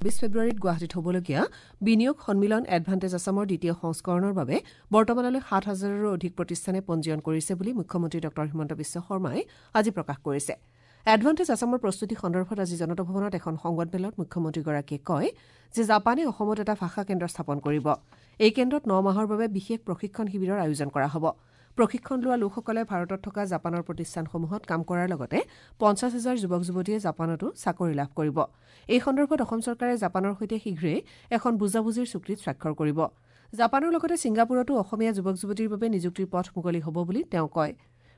২০ ফেব্ৰুৱাৰীত গুৱাহাটীত হ'বলগীয়া বিনিয়োগ সন্মিলন এডভান্টেজ আছামৰ দ্বিতীয় সংস্কৰণৰ বাবে বৰ্তমানলৈ ৭ হাজাৰৰো অধিক প্ৰতিষ্ঠানে পঞ্জীয়ন কৰিছে বুলি মুখ্যমন্ত্ৰী ডঃ হিমন্ত বিশ্ব শৰ্মাই আজি প্ৰকাশ কৰিছে। এডভান্টেজ আছামৰ প্ৰস্তুতি সন্দৰ্ভত আজি জনতা ভৱনত এখন সংবাদমেলত মুখ্যমন্ত্ৰীগৰাকীয়ে কয় যে জাপানে অসমত এটা ভাষা কেন্দ্ৰ স্থাপন কৰিব। এই কেন্দ্ৰত ৯ মাহৰ বাবে বিশেষ প্ৰশিক্ষণ শিবিৰৰ আয়োজন কৰা হ'ব। প্ৰশিক্ষণ লোৱা লোকসকলে ভাৰতত থকা জাপানৰ প্ৰতিষ্ঠানসমূহত কাম কৰাৰ লগতে ৫০ হাজাৰ যুৱক যুৱতীয়ে জাপানতো চাকৰি লাভ কৰিব। এই সন্দৰ্ভত অসম চৰকাৰে জাপানৰ সৈতে শীঘ্ৰেই এখন বুজাবুজিৰ চুক্তিত স্বাক্ষৰ কৰিব। জাপানৰ লগতে ছিংগাপুৰতো অসমীয়া যুৱক যুৱতীৰ বাবে নিযুক্তিৰ পথ মুকলি হ'ব বুলি তেওঁ কয়।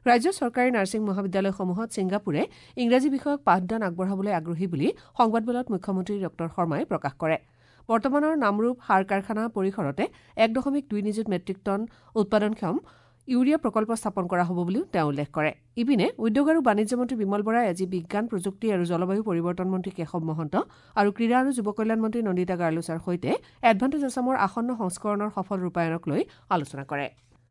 ৰাজ্যৰ চৰকাৰী নাৰ্ছিং মহাবিদ্যালয়সমূহত ছিংগাপুৰে ইংৰাজী বিষয়ক পাঠদান আগবঢ়াবলৈ আগ্ৰহী বুলি সংবাদমেলত মুখ্যমন্ত্ৰী ডঃ শৰ্মাই প্ৰকাশ কৰে। বৰ্তমানৰ নামৰূপ সাৰ কাৰখানা পৰিসৰতে ১.২ নিযুত মেট্ৰিক টন উৎপাদনক্ষম ইউৰিয়া প্ৰকল্প স্থাপন কৰা হ'ব বুলিও তেওঁ উল্লেখ কৰে। ইপিনে, উদ্যোগ আৰু বাণিজ্য মন্ত্ৰী বিমল বৰাই আজি বিজ্ঞান, প্ৰযুক্তি আৰু জলবায়ু পৰিৱৰ্তন মন্ত্ৰী কেশৱ মহন্ত আৰু ক্ৰীড়া আৰু যুৱ কল্যাণ মন্ত্ৰী নন্দিতা গাৰ্লোচাৰ সৈতে এডভান্টেজ আছামৰ আসন্ন সংস্কৰণৰ সফল ৰূপায়ণক লৈ আলোচনা কৰে।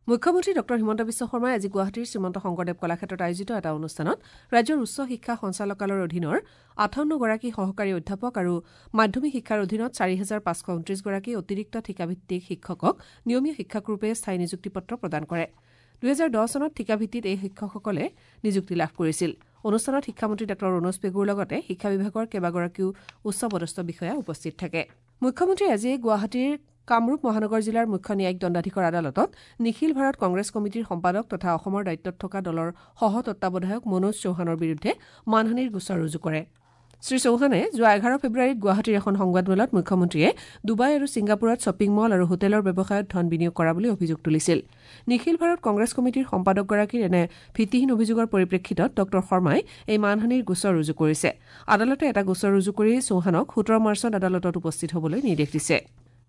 মুখ্যমন্ত্ৰী ডঃ হিমন্ত বিশ্ব শৰ্মাই আজি গুৱাহাটীৰ শ্ৰীমন্ত শংকৰদেৱ কলাক্ষেত্ৰত আয়োজিত এটা অনুষ্ঠানত ৰাজ্যৰ উচ্চ শিক্ষা সঞ্চালকালয়ৰ অধীনৰ ৫৮গৰাকী সহকাৰী অধ্যাপক আৰু মাধ্যমিক শিক্ষাৰ অধীনত ৪৫২৯গৰাকী অতিৰিক্ত ঠিকাভিত্তিক শিক্ষকক নিয়মীয়া শিক্ষকৰূপে স্থায়ী নিযুক্তি পত্ৰ প্ৰদান কৰে। ২০১০ চনত ঠিকাভিত্তিত এই শিক্ষকসকলে নিযুক্তি লাভ কৰিছিল। অনুষ্ঠানত শিক্ষামন্ত্ৰী ডাঃ ৰণোজ পেগুৰ লগতে শিক্ষা বিভাগৰ কেইবাগৰাকীও উচ্চ পদস্থ বিষয়া উপস্থিত থাকে। মুখ্যমন্ত্ৰীয়ে আজি গুৱাহাটীৰ কামৰূপ মহানগৰ জিলাৰ মুখ্য ন্যায়িক দণ্ডাধীশৰ আদালতত নিখিল ভাৰত কংগ্ৰেছ কমিটিৰ সম্পাদক তথা অসমৰ দায়িত্বত থকা দলৰ সহ তত্বাৱধায়ক মনোজ চৌহানৰ বিৰুদ্ধে মানহানিৰ গোচৰ ৰুজু কৰে। শ্ৰীচৌহানে যোৱা ১১ ফেব্ৰুৱাৰীত গুৱাহাটীৰ এখন সংবাদমেলত মুখ্যমন্ত্ৰীয়ে ডুবাই আৰু ছিংগাপুৰত শ্বপিং মল আৰু হোটেলৰ ব্যৱসায়ত ধন বিনিয়োগ কৰা বুলি অভিযোগ তুলিছিল। নিখিল ভাৰত কংগ্ৰেছ কমিটিৰ সম্পাদকগৰাকীৰ এনে ভিত্তিহীন অভিযোগৰ পৰিপ্ৰেক্ষিতত ডঃ শৰ্মাই এই মানহানিৰ গোচৰ ৰুজু কৰিছে। আদালতে এটা গোচৰ ৰুজু কৰি চৌহানক ১৭ মাৰ্চত আদালতত উপস্থিত হ'বলৈ নিৰ্দেশ দিছে।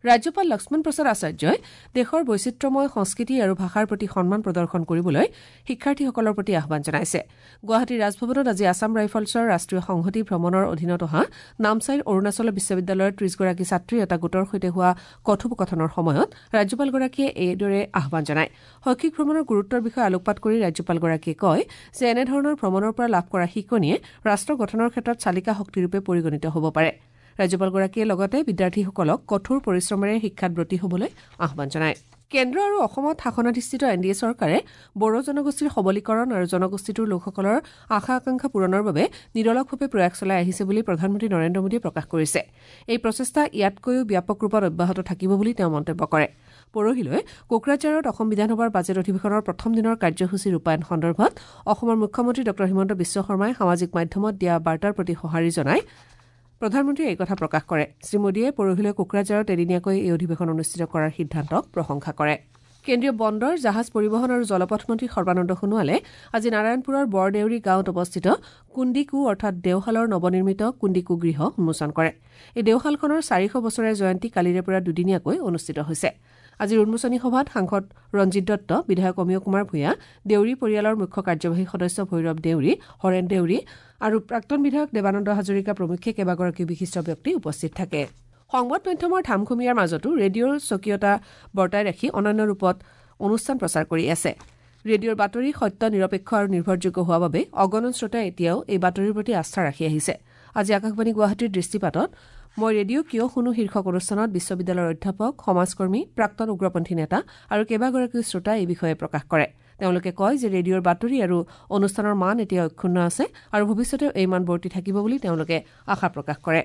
ৰাজ্যপাল লক্ষ্মণ প্ৰসাদ আচাৰ্যই দেশৰ বৈচিত্ৰ্যময় সংস্কৃতি আৰু ভাষাৰ প্ৰতি সন্মান প্ৰদৰ্শন কৰিবলৈ শিক্ষাৰ্থীসকলৰ প্ৰতি আহ্বান জনাইছে। গুৱাহাটীৰ ৰাজভৱনত আজি আছাম ৰাইফলছৰ ৰাষ্ট্ৰীয় সংহতি ভ্ৰমণৰ অধীনত অহা নামচাইৰ অৰুণাচল বিশ্ববিদ্যালয়ৰ ৩০গৰাকী ছাত্ৰীৰ এটা গোটৰ সৈতে হোৱা কথোপকথনৰ সময়ত ৰাজ্যপালগৰাকীয়ে এইদৰে আহ্বান জনায়। শৈক্ষিক ভ্ৰমণৰ গুৰুত্বৰ বিষয়ে আলোকপাত কৰি ৰাজ্যপালগৰাকীয়ে কয় যে এনেধৰণৰ ভ্ৰমণৰ পৰা লাভ কৰা শিকনিয়ে ৰাষ্ট্ৰ গঠনৰ ক্ষেত্ৰত চালিকা শক্তিৰূপে পৰিগণিত হ'ব পাৰে। ৰাজ্যপালগৰাকীয়ে লগতে বিদ্যাৰ্থীসকলক কঠোৰ পৰিশ্ৰমেৰে শিক্ষাত ব্ৰতী হ'বলৈ আহ্বান জনায়। কেন্দ্ৰ আৰু অসমত শাসনাধিষ্ঠিত এন ডি এ চৰকাৰে বড়ো জনগোষ্ঠীৰ সবলীকৰণ আৰু জনগোষ্ঠীটোৰ লোকসকলৰ আশা আকাংক্ষা পূৰণৰ বাবে নিৰলসভাৱে প্ৰয়াস চলাই আহিছে বুলি প্ৰধানমন্ত্ৰী নৰেন্দ্ৰ মোদীয়ে প্ৰকাশ কৰিছে। এই প্ৰচেষ্টা ইয়াতকৈও ব্যাপক ৰূপত অব্যাহত থাকিব বুলি তেওঁ মন্তব্য কৰে। পৰহিলৈ কোকৰাঝাৰত অসম বিধানসভাৰ বাজেট অধিৱেশনৰ প্ৰথম দিনৰ কাৰ্যসূচী ৰূপায়ণ সন্দৰ্ভত অসমৰ মুখ্যমন্ত্ৰী ডঃ হিমন্ত বিশ্ব শৰ্মাই সামাজিক মাধ্যমত দিয়া বাৰ্তাৰ প্ৰতি সঁহাৰি জনাই প্ৰধানমন্ত্ৰীয়ে এই কথা প্ৰকাশ কৰে। শ্ৰীমোদীয়ে পৰহিলৈ কোকৰাঝাৰত এদিনীয়াকৈ এই অধিৱেশন অনুষ্ঠিত কৰাৰ সিদ্ধান্তক প্ৰশংসা কৰে। কেন্দ্ৰীয় বন্দৰ, জাহাজ পৰিবহণ আৰু জলপথ মন্ত্ৰী সৰ্বানন্দ সোণোৱালে আজি নাৰায়ণপুৰৰ বৰদেউৰী গাঁৱত অৱস্থিত কুন্দিকু অৰ্থাৎ দেওশালৰ নৱনিৰ্মিত কুন্দিকু গৃহ উন্মোচন কৰে। এই দেওশালখনৰ ৪০০ বছৰীয়া জয়ন্তী কালিৰে পৰা দুদিনীয়াকৈ অনুষ্ঠিত হৈছে। আজিৰ উন্মোচনী সভাত সাংসদ ৰঞ্জিত দত্ত, বিধায়ক অমিয় কুমাৰ ভূঞা, দেউৰী পৰিয়ালৰ মুখ্য কাৰ্যবাহী সদস্য ভৈৰৱ দেউৰী, হৰেণ দেউৰী আৰু প্ৰাক্তন বিধায়ক দেৱানন্দ হাজৰিকা প্ৰমুখ্যে কেইবাগৰাকীও বিশিষ্ট ব্যক্তি উপস্থিত থাকে। সংবাদ মাধ্যমৰ ধামখুমীয়াৰ মাজতো ৰেডিঅ'ৰ স্বকীয়তা বৰ্তাই ৰাখি অনন্য ৰূপত অনুষ্ঠান প্ৰচাৰ কৰি আছে। ৰেডিঅ'ৰ বাতৰি সত্য, নিৰপেক্ষ আৰু নিৰ্ভৰযোগ্য হোৱা বাবে অগণন শ্ৰোতাই এতিয়াও এই বাতৰিৰ প্ৰতি আস্থা ৰাখি আহিছে। আজি আকাশবাণী গুৱাহাটীৰ দৃষ্টিপাতত "মই ৰেডিঅ' কিয় শুনো" শীৰ্ষক অনুষ্ঠানত বিশ্ববিদ্যালয়ৰ অধ্যাপক, সমাজকৰ্মী, প্ৰাক্তন উগ্ৰপন্থী নেতা আৰু কেইবাগৰাকীও শ্ৰোতাই এই বিষয়ে প্ৰকাশ কৰে। তেওঁলোকে কয় যে ৰেডিঅ'ৰ বাতৰি আৰু অনুষ্ঠানৰ মান এতিয়া অক্ষুণ্ণ আছে আৰু ভৱিষ্যতেও এই মান বৰ্তি থাকিব বুলি তেওঁলোকে আশা প্ৰকাশ কৰে।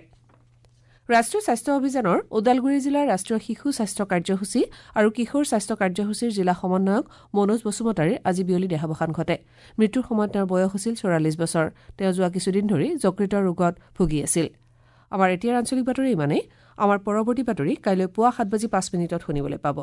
ৰাষ্ট্ৰীয় স্বাস্থ্য অভিযানৰ ওদালগুৰি জিলাৰ ৰাষ্ট্ৰীয় শিশু স্বাস্থ্য কাৰ্যসূচী আৰু কিশোৰ স্বাস্থ্য কাৰ্যসূচীৰ জিলা সমন্বয়ক মনোজ বসুমতাৰীৰ আজি বিয়লি দেহাৱসান ঘটে। মৃত্যুৰ সময়ত তেওঁৰ বয়স হৈছিল ৪৪ বছৰ। তেওঁ যোৱা কিছুদিন ধৰি যকৃতৰ ৰোগত ভুগি আছিল। আমাৰ এতিয়াৰ আঞ্চলিক বাতৰি ইমানেই। আমাৰ পৰৱৰ্তী বাতৰি কাইলৈ পুৱা ৭ বাজি ৫ মিনিটত শুনিবলৈ পাব।